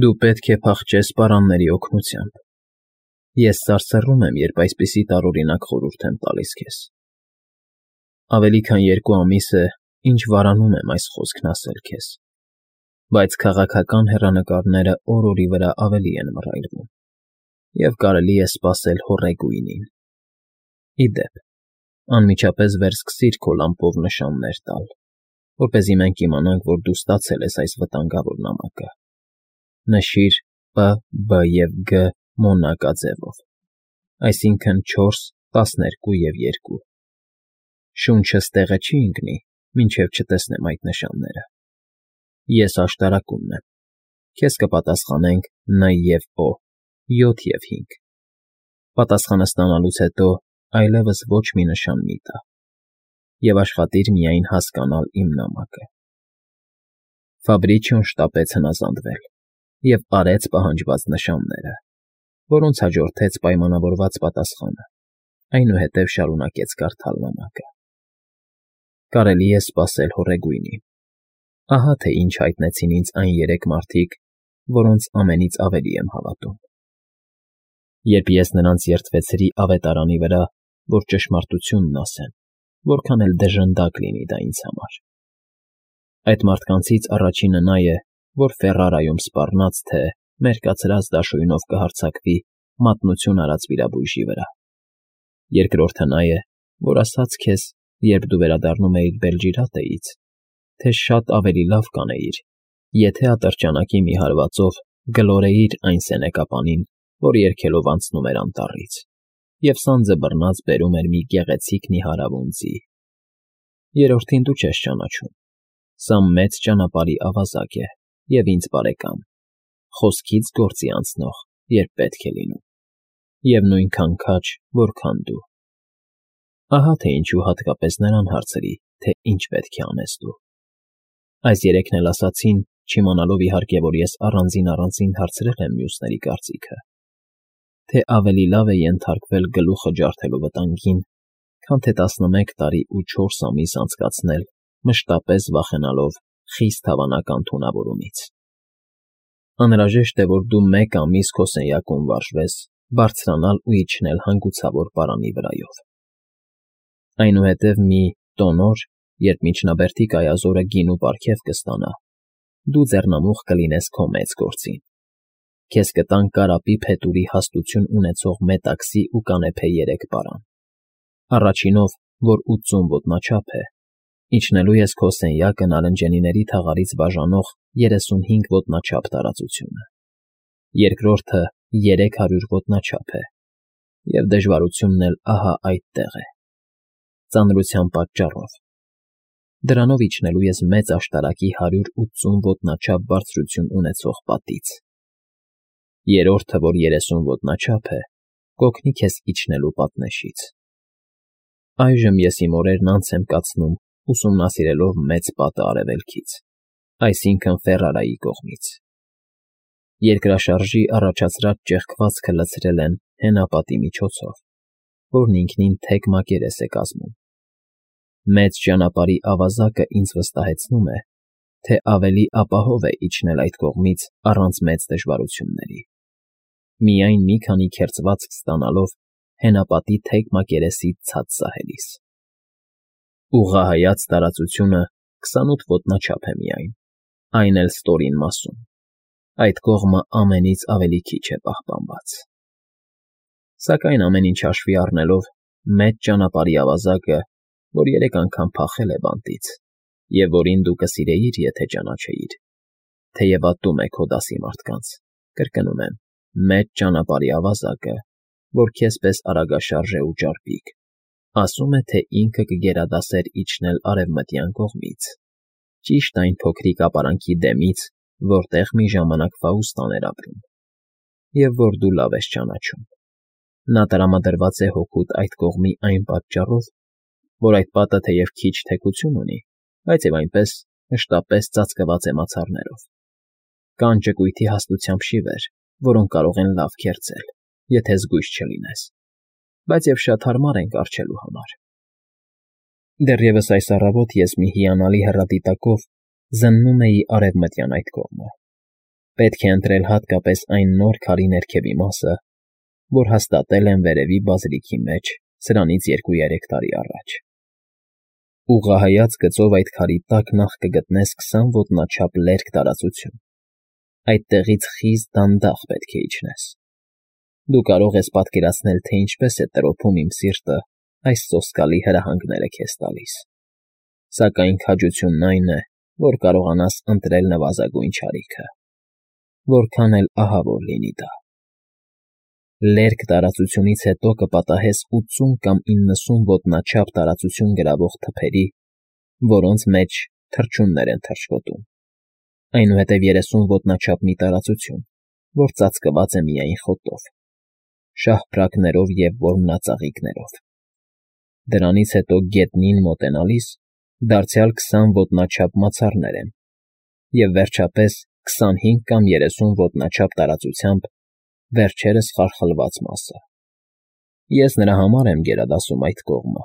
Դու պետք է փախչես պարանների օգնությամբ։ Ես սարսռում եմ, երբ այսպիսի տարօրինակ խորհուրդ եմ տալիս քեզ։ Ավելի քան 2 ամիս է, ինչ վարանում եմ այս խոսքն ասել քեզ, բայց քաղաքական հեռանկարները օր֊օրի վրա ավելի են մռայլվում, և կարելի է սպասել հոռեգույնին։ Ի դեպ, անմիջապես վերսկսիր քո լամպով նշաններ տալ, որպեսզի մենք իմանանք, որ դու ստացել ես այս վտանգավոր նամակը։ Նշիր П, Բ և Գ մոնակաձևով, այսինքն 4, 12 և 2։ Շունչս տեղը չի ընկնի, մինչև չտեսնեմ այդ նշանները։ Ես աշտարակումն եմ, քեզ կպատասխանենք Ն և Օ, 7 և 5։ Պատասխանը ստանալուց հետո այլևս ոչ մի նշան մի տա, և աշխատիր միայն հասկանալ իմ նամակը։ Ֆաբրիչիոն շտապեց հնազանդվել և արեց պահանջված նշանները, որոնց հաջորդեց պայմանավորված պատասխանը, այնուհետև շարունակեց կարդալ նամակը։ Կարելի է սպասել հոռեգույնին։ Ահա թե ինչ հայտնեցին ինձ այն 3 մարդիկ, որոնց ամենից ավելի եմ հավատում։ Երբ ես նրանց երդվեցրի ավետարանի վրա, որ ճշմարտությունն ասեն, որքան էլ դժնդակ լինի դա ինձ համար։ Այդ մարդկանցից առաջինը նա է, որ Ֆերրարայում սպառնաց, թե մերկացրած դաշույնով կհարձակվի մատնություն արած վիրաբույժի վրա։ Երկրորդը նա է, որ ասաց քեզ, երբ դու վերադառնում էիր Բելջիրատեից, թե շատ ավելի լավ կանեիր, եթե ատրճանակի մի հարվածով գլորեիր այն սենեկապանին, որ երգելով անցնում էր անտառից, և սանձը բռնած բերում էր մի գեղեցիկ նիհարավուն ձի։ Երրորդին դու չես ճանաչում։ Սա մեծ ճանապարհի ավազակ է և ինձ բարեկամ, խոսքից գործի անցնող, երբ պետք է լինում, և նույնքան քաջ, որքան դու։ Ահա թե ինչու հատկապես նրան հարցրի, թե ինչ պետք է անես դու։ Այս 3-ն էլ ասացին, չիմանալով իհարկե, որ ես առանձին հարցրել եմ մյուսների կարծիքը, թե ավելի լավ է ենթարկվել գլուխը ջարդելու վտանգին, քան թե 11 տարի ու 4 ամիս անցկացնել մշտապես վախենալով խիստ հավանական թունավորումից։ Անհրաժեշտ է, որ դու 1 ամիս քո սենյակում վարժվես, բարձրանալ ու իջնել հանգուցավոր պարանի վրայով։ Այնուհետև մի տոնոր, երբ միջնաբերդի կայազորը գինու պարգև կստանա, դու ձեռնամուխ կլինես քո մեծ գործին։ Քեզ կտան կարապի փետուրի հաստություն ունեցող մետաքսի ու կանեփե 3 պարան։ Առաջինով, որ 80 ոտնաչափ է, իջնելու ես քո սենյակը նարնջենիների թաղարից բաժանող 35 ոտնաչափ տարածությունը։ Երկրորդը 300 ոտնաչափ է, և դժվարությունն էլ ահա այդտեղ է, ծանրության պատճառով։ Դրանով իջնելու ես մեծ աշտարակի 180 ոտնաչափ բարձրություն ունեցող պատից։ Երրորդը, որ 30 ոտնաչափ է, կօգնի քեզ իջնելու պատնեշից։ Այժմ ես իմ օրերն անց եմ կացնում ուսումնասիրելով մեծ պատը արևելքից, այսինքն Ֆերրարայի կողմից։ Երկրաշարժի առաջացրած ճեղքվածքը լցրել են հենապատի միջոցով, որն ինքնին թեք մակերես է կազմում։ Մեծ ճանապարհի ավազակը ինձ վստահեցնում է, թե ավելի ապահով է իջնել այդ կողմից առանց մեծ դժվարությունների, միայն մի քանի քերծվածք ստանալով հենապատի թեք մակերեսից ցած սահելիս։ Ուղղահայաց տարածությունը 28 ոտնաչափ է միայն, այն էլ ստորին մասում։ Այդ կողմը ամենից ավելի քիչ է պահպանված։ Սակայն ամեն ինչ հաշվի առնելով, մեծ ճանապարհի ավազակը, որ 3 անգամ փախել է բանտից, և որին դու կսիրեիր, եթե ճանաչեիր, թեև ատում է քո դասի մարդկանց, կրկնում եմ, մեծ ճանապարհի ավազակը, որ քեզ պես արագաշարժ է ու ճարպիկ, ասում է, թե ինքը կգերադասեր իջնել արևմտյան կողմից, ճիշտ այն փոքրիկ ապարանքի դեմից, որտեղ մի ժամանակ Ֆաուստան էր ապրում, և որ դու լավ ես ճանաչում։ Նա տրամադրված է հօգուտ այդ կողմի այն պատճառով, որ այդ պատը թեև քիչ թեքություն ունի, բայց և այնպես մշտապես ծածկված է մացառներով։ Կան ճկույթի հաստությամբ շիվեր, որոնք կարող են լավ քերծել, եթե զգույշ չլինես, բայց և շատ հարմար են կառչելու համար։ Դեռևս այս առավոտ ես մի հիանալի հեռադիտակով զննում էի արևմտյան այդ կողմը։ Պետք է ընտրել հատկապես այն նոր քարի ներքևի մասը, որ հաստատել են վերևի բազիլիկի մեջ սրանից 2-3 տարի առաջ։ Ուղղահայաց գծով այդ քարի տակ նախ կգտնես 20 ոտնաչափ լերկ տարածություն։ Այդտեղից խիստ դանդաղ պետք է իջնես։ Դու կարող ես պատկերացնել, թե ինչպես է տրոփում իմ սիրտը այս սոսկալի հրահանգները քեզ տալիս։ Սակայն քաջությունն այն է, որ կարողանաս ընտրել նվազագույն չարիքը, որքան էլ ահավոր լինի դա։ Լերկ տարածությունից հետո կպատահես 80 կամ 90 ոտնաչափ տարածություն գրավող թփերի, որոնց մեջ թռչուններ են թռչկոտում, այնուհետև 30 ոտնաչափ մի տարածություն, որ ծածկված է միայն խոտով, շահփրակներով և որմնածաղիկներով։ Դրանից հետո գետնին մոտենալիս դարձյալ 20 ոտնաչափ մացառներ են և վերջապես 25 կամ 30 ոտնաչափ տարածությամբ վերջերս խարխլված մասը։ Ես նրա համար եմ գերադասում այդ կողմը,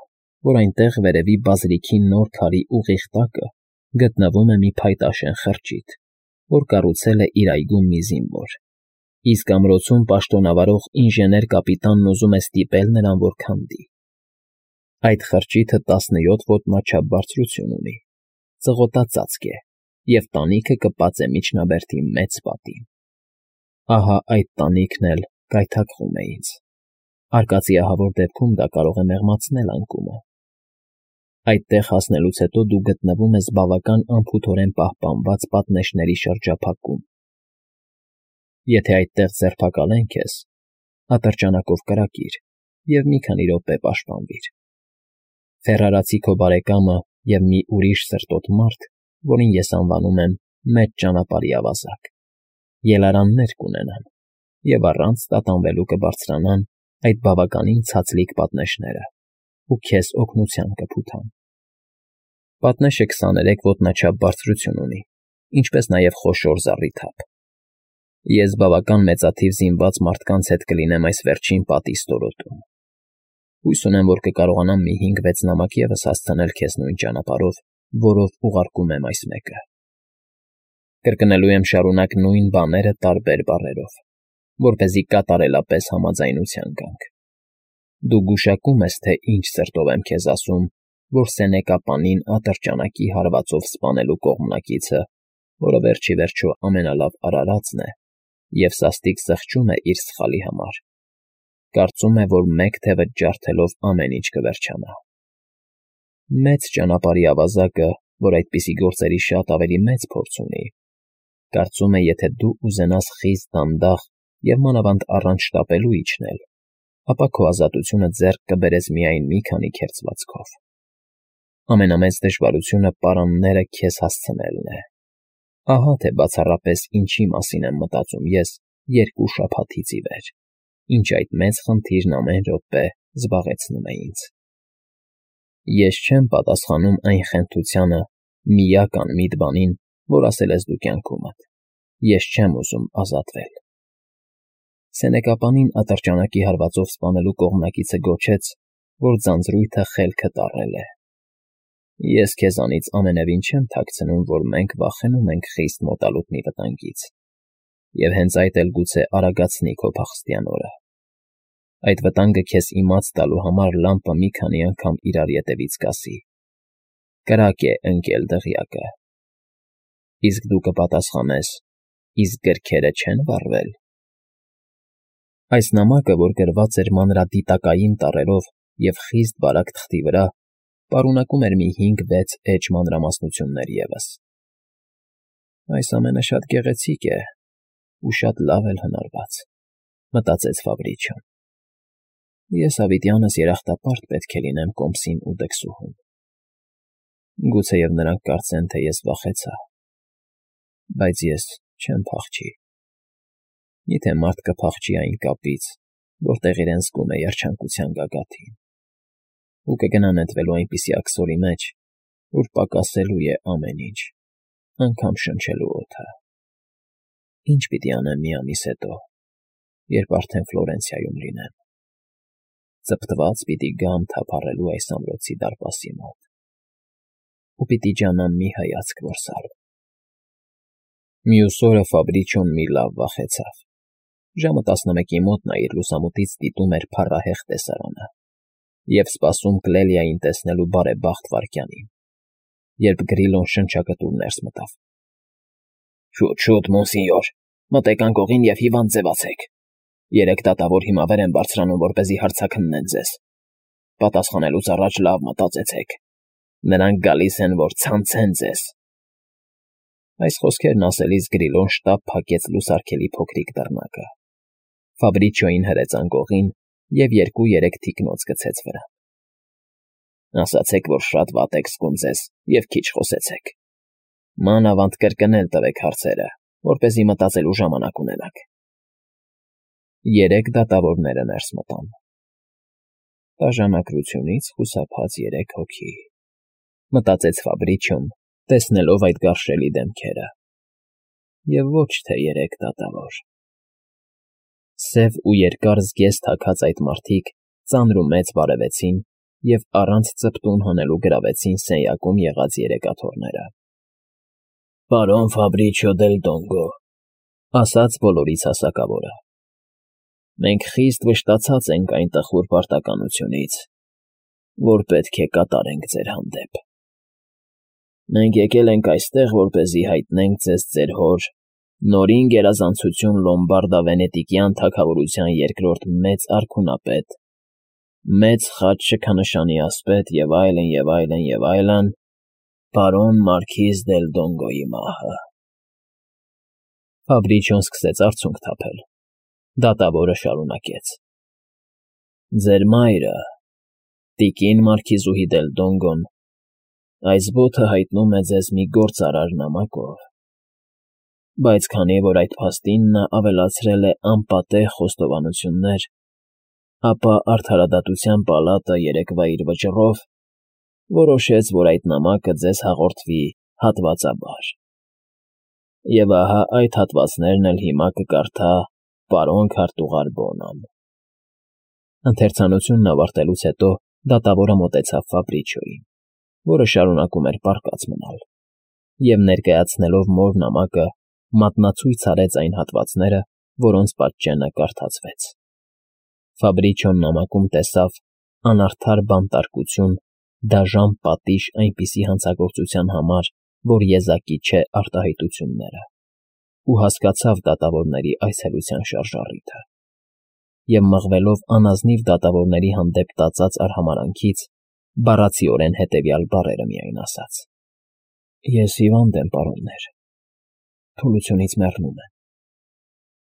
որ այնտեղ վերևի բազիլիկի նոր քարի ուղիղ տակը գտնվում է մի փայտաշեն խրճիթ, որ կառուցել է իր այգում մի զինվոր, իսկ ամրոցում պաշտոնավարող ինժեներ կապիտանն ուզում է ստիպել նրան, որ քանդի։ Այդ խրճիթը 17 ոտնաչափ բարձրություն ունի, ծղոտածածկ է և տանիքը կպած է միջնաբերդի մեծ պատին։ Ահա այդ տանիքն էլ գայթակղում է ինձ։ Արկածի ահավոր դեպքում դա կարող է մեղմացնել անկումը։ Այդտեղ հասնելուց հետո դու գտնվում ես բավական անփութորեն պահպանված պատնեշների շրջափակում։ Եթե այդտեղ ձերբակալեն քեզ, ատրճանակով կրակիր և մի քանի րոպե պաշտպանվիր։ Ֆեռարացի քո բարեկամը և մի ուրիշ սրտոտ մարդ, որին ես անվանում եմ մեծ ճանապարհի ավազակ, ելարաններ կունենան և առանց տատանվելու կբարձրանան այդ բավականին ցածլիկ պատնեշները ու քեզ օգնության կփութան։ Պատնեշը 23 ոտնաչափ բարձրություն ունի, ինչպես նաև խոշոր զառիթափ։ Ես բավական մեծաթիվ զինված մարդկանց հետ կլինեմ այս վերջին պատի ստորոտում։ Հույս ունեմ, որ կկարողանամ մի 5-6 նամակ ևս հասցնել քեզ նույն ճանապարհով, որով ուղարկում եմ այս մեկը։ Կրկնելու եմ շարունակ նույն բաները տարբեր բառերով, որպեսզի կատարելապես համաձայնության գանք։ Դու գուշակում ես, թե ինչ սրտով եմ քեզ ասում, որ Սենեկապանին ատրճանակի հարվածով սպանելու կողմնակիցը, որը վերջ ի վերջո ամենալավ արարածն է և սաստիկ զղջում է իր սխալի համար, կարծում է, որ մեկ թևդ ջարդելով ամեն ինչ կվերջանա։ Մեծ ճանապարհի ավազակը, որ այդպիսի գործերի շատ ավելի մեծ փորձ ունի, կարծում է, եթե դու ուզենաս խիստ դանդաղ և մանավանդ առանց շտապելու իջնել, ապա քո ազատությունը ձեռք կբերես միայն մի քանի քերծվածքով։ Ամենամեծ դժվարությունը պարանները քեզ հասցնելն է։ Ահա թե բացառապես ինչի մասին եմ մտածում ես 2 շաբաթից ի վեր, ինչ այդ մեծ խնդիրն ամեն րոպե զբաղեցնում է ինձ։ Ես չեմ պատասխանում այն խենթությանը միակ անմիտ բանին, որ ասել ես դու կյանքումդ։ Ես չեմ ուզում ազատվել։ Սենեկապանին ատրճանակի հարվածով սպանելու կողմնակիցը գոչեց, որ ձանձրույթը խելքը տառել է։ Ես քեզանից ամենևին չեմ թաքցնում, որ մենք վախենում ենք խիստ մոտալուտ մի վտանգից, և հենց այդ էլ գուցե արագացնի քո փախստյան օրը։ Այդ վտանգը քեզ իմաց տալու համար լամպը մի քանի անգամ իրար ետևից կասի. «Կրակ է, ընկել դղյակը»։ Իսկ դու կպատասխանես. «Իսկ գրքերը չեն վառվել»։ Այս նամակը, որ գրված էր մանրադիտակային տառերով և խիստ բարակ թղթի վրա, պարունակում էր մի 5-6 էջ մանրամասնություններ ևս։ «Այս ամենը շատ գեղեցիկ է ու շատ լավ էլ հնարված», մտածեց Ֆաբրիչոն։ Ես հավիտյանս երախտապարտ պետք է լինեմ կոմսին ու դքսուհուն։ Գուցեև նրանք կարծեն, թե ես վախեցա, բայց ես չեմ փախչի։ Եթե մարդ կփախչի այն կապից, որտեղ իրեն զգում է երջանկության գագաթին, ու կգնա նետվելու այնպիսի աքսորի մեջ, որ պակասելու է ամեն ինչ, անգամ շնչելու օդը։ Ինչ պիտի անեմ մի ամիս հետո, երբ արդեն Ֆլորենցիայում լինեմ։ Ծպտված պիտի գամ թափառելու այս ամրոցի դարպասի մոտ, ու պիտի ջանամ մի հայացք որսալ։ Մյուս օրը Ֆաբրիչոն մի լավ վախեցավ։ Ժամը 11-ի մոտ նա իր լուսամուտից դիտում էր փառահեղ տեսարանը և սպասում Կլելիային տեսնելու բարեբախտ վայրկյանին, երբ Գրիլոն շնչակտուր ներս մտավ։ Շուտ, շուտ, մոնսինյոր, մտեք անկողին և հիվանդ ձևացեք։ 3 դատավոր հիմա վեր են բարձրանում, որպեսզի հարցաքննեն ձեզ։ Պատասխանելուց առաջ լավ մտածեցեք։ Նրանք գալիս են, որ ցանցեն ձեզ։ Այս խոսքերն ասելիս Գրիլոն շտապ փակեց լուսարգելի փոքրիկ դռնակը։ Ֆաբրիչոին հրեց անկողին և 2-3 թիկնոց գցեց վրան։ Ասացեք, որ շատ վատ եք զգում ձեզ և քիչ խոսեցեք։ Մանավանդ կրկնել տվեք հարցերը, որպեսզի մտածելու ժամանակ ունենաք։ 3 դատավորները ներս մտան։ Դաժանակությունից խուսափած 3 հոգի, մտածեց Ֆաբրիչոն, տեսնելով այդ գարշելի դեմքերը։ Եվ ոչ թե 3 դատավոր։ Սև ու երկար զգեստ հագած այդ մարդիկ ծանր ու մեծ բարևեցին և առանց ծպտուն հանելու գրավեցին սենյակում եղած 3 աթոռները։ Պարոն Ֆաբրիչիո դել Դոնգո, ասաց բոլորից հասակավորը, մենք խիստ վշտացած ենք այն տխուր պարտականությունից, որ պետք է կատարենք ձեր հանդեպ։ Մենք եկել ենք այստեղ, որպեսզի հայտնենք ձեզ ձեր հոր, նորին գերազանցություն Լոմբարդա֊Վենետիկյան թագավորության 2-րդ մեծ արքունապետ, մեծ խաչ շքանշանի ասպետ և այլն, և այլն, և այլն, պարոն Մարքիզ դել Դոնգոյի մահը։ Ֆաբրիչոն սկսեց արցունք թափել։ Դատավորը շարունակեց. Ձեր մայրը, տիկին Մարքիզուհի դել Դոնգոն, այս բոթը հայտնում է ձեզ մի գործարար նամակով, բայց քանի որ այդ փաստին նա ավելացրել է անպատեհ խոստովանություններ, ապա Արդարադատության պալատը երեկվա իր վճռով որոշեց, որ այդ նամակը ձեզ հաղորդվի հատվածաբար։ Եվ ահա այդ հատվածներն էլ հիմա կկարդա պարոն քարտուղար Բոնան։ Ընթերցանությունն ավարտելուց հետո դատավորը մոտեցավ Ֆաբրիչոյին, որը շարունակում էր պառկած մնալ, և ներկայացնելով մոր նամակը մատնացույց արեց այն հատվածները, որոնց պատճենը կարդացվեց։ Ֆաբրիչոն նամակում տեսավ անարդար բանտարկություն, դաժան պատիժ այնպիսի հանցագործության համար, որ եզակի չէ արտահայտությունները, ու հասկացավ դատավորների այցելության շարժառիթը, և մղվելով անազնիվ դատավորների հանդեպ տածած արհամարհանքից, բառացիորեն հետևյալ բառերը միայն ասաց. Ես հիվանդ եմ, պարոններ, թուլությունից մեռնում եմ,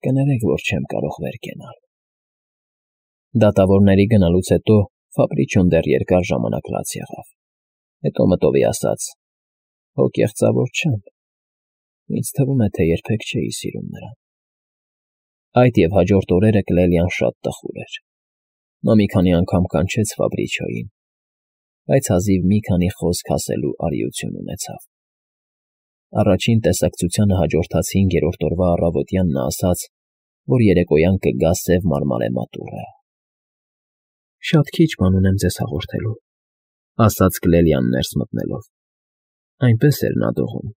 կներեք, որ չեմ կարող վեր կենալ։ Դատավորների գնալուց հետո Ֆաբրիչոն դեռ երկար ժամանակ լաց եղավ, հետո մտովի ասաց. Հո կեղծավոր չեմ, ինձ թվում է, թե երբեք չէի սիրում նրան։ Այդ և հաջորդ օրերը Կլելիան շատ տխուր էր։ Նա մի քանի անգամ կանչեց Ֆաբրիչոյին, բայց հազիվ մի քանի խոսք ասելու արիություն ունեցավ։ Առաջին տեսակցությանը հաջորդած 5-րդ օրվա առավոտյան նա ասաց, որ երեկոյան կգա սև մարմարե մատուռը։ Շատ քիչ բան ունեմ ձեզ հաղորդելու, ասաց Կլելիան ներս մտնելով։ Այնպես էր նա դողում,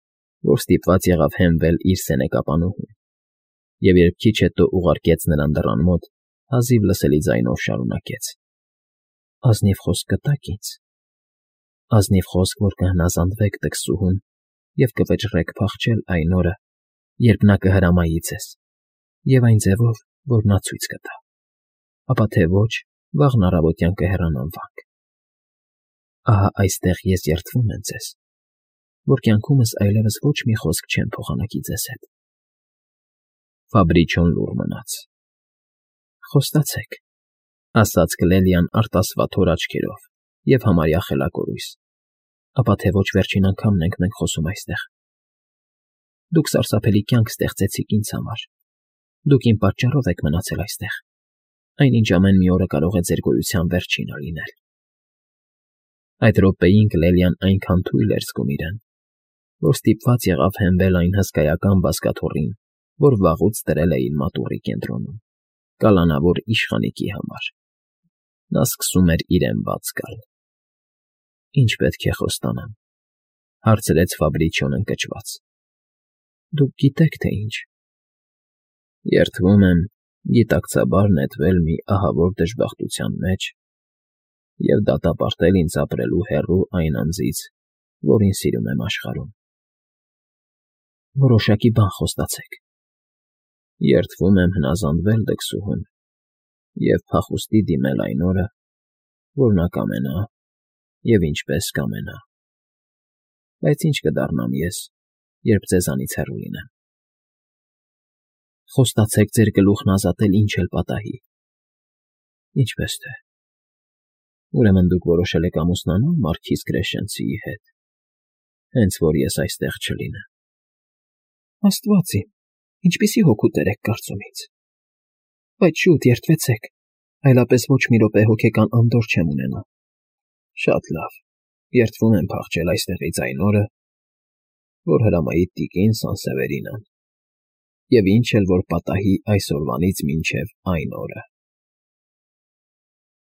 որ ստիպված եղավ հենվել իր սենեկապանուհուն, և երբ քիչ հետո ուղարկեց նրան դռան մոտ, հազիվ լսելի ձայնով շարունակեց. Ազնիվ խոսք կտա՞ք ինձ։ Ազնիվ խոսք, որ կհնազանդվեք տքսուհուն և կվճռեք փախչել այն օրը, երբ նա կհրամայի ձեզ, և այն ձևով, որ նա ցույց կտա, ապա թե ոչ, վաղն առավոտյան կհեռանանք։ Ահա այստեղ ես երդվում եմ ձեզ, որ կյանքումս այլևս ոչ մի խոսք չեմ փոխանակի ձեզ հետ։ Ֆաբրիչոն լուռ մնաց։ Խոստացեք, ասաց Կլելիան արտասվաթոր աչքերով և համարյա խելակորույս, ապա թե ոչ վերջին անգամն ենք մենք խոսում այստեղ։ Դուք սարսափելի կյանք ստեղծեցիք ինձ համար, դուք իմ պատճառով եք մնացել այստեղ, այնինչ ամեն մի օրը կարող է ձեր գոյության վերջինը լինել։ Այդ րոպեին Կլելիան այնքան թույլ էր զգում իրեն, որ ստիպված եղավ հենվել այն հսկայական բազկաթոռին, որ վաղուց դրել էին մատուռի կենտրոնում, կալանավոր իշխանիկի համար։ Նա սկսում էր իրեն բաց գալ։ Ինչ պետք է խոստանամ, հարցրեց Ֆաբրիչոն ընկճված։ Դուք գիտեք, թե ինչ։ Երդվում եմ գիտակցաբար նետվել մի ահավոր դժբախտության մեջ և դատապարտել ինձ ապրելու հեռու այն անձից, որին սիրում եմ աշխարհում։ Որոշակի բան խոստացեք։ Երդվում եմ հնազանդվել դքսուհուն և փախուստի դիմել այն օրը, որ նա կամենա և ինչպես կամենա։ Բայց ի՞նչ կդառնամ ես, երբ ձեզանից հեռու լինեմ։ Խոստացեք ձեր գլուխն ազատել ինչ էլ պատահի։ Ինչպես թե։ Ուրեմն դուք որոշել եք ամուսնանալ մարքիզ Կրեշնցիի հետ, հենց որ ես այստեղ չլինեմ։ Աստված իմ, ինչպիսի հոգուտեր եք կարծում ինձ։ Բայց շուտ երդվեցեք, այլապես ոչ մի րոպե հոգեկան անդորր չեմ ունենա։ Շատ լավ, երդվում եմ փախչել այստեղից այն օրը, որ հրամայի տիկին Սանսևերինան, և ինչ էլ որ պատահի այսօրվանից մինչև այն օրը։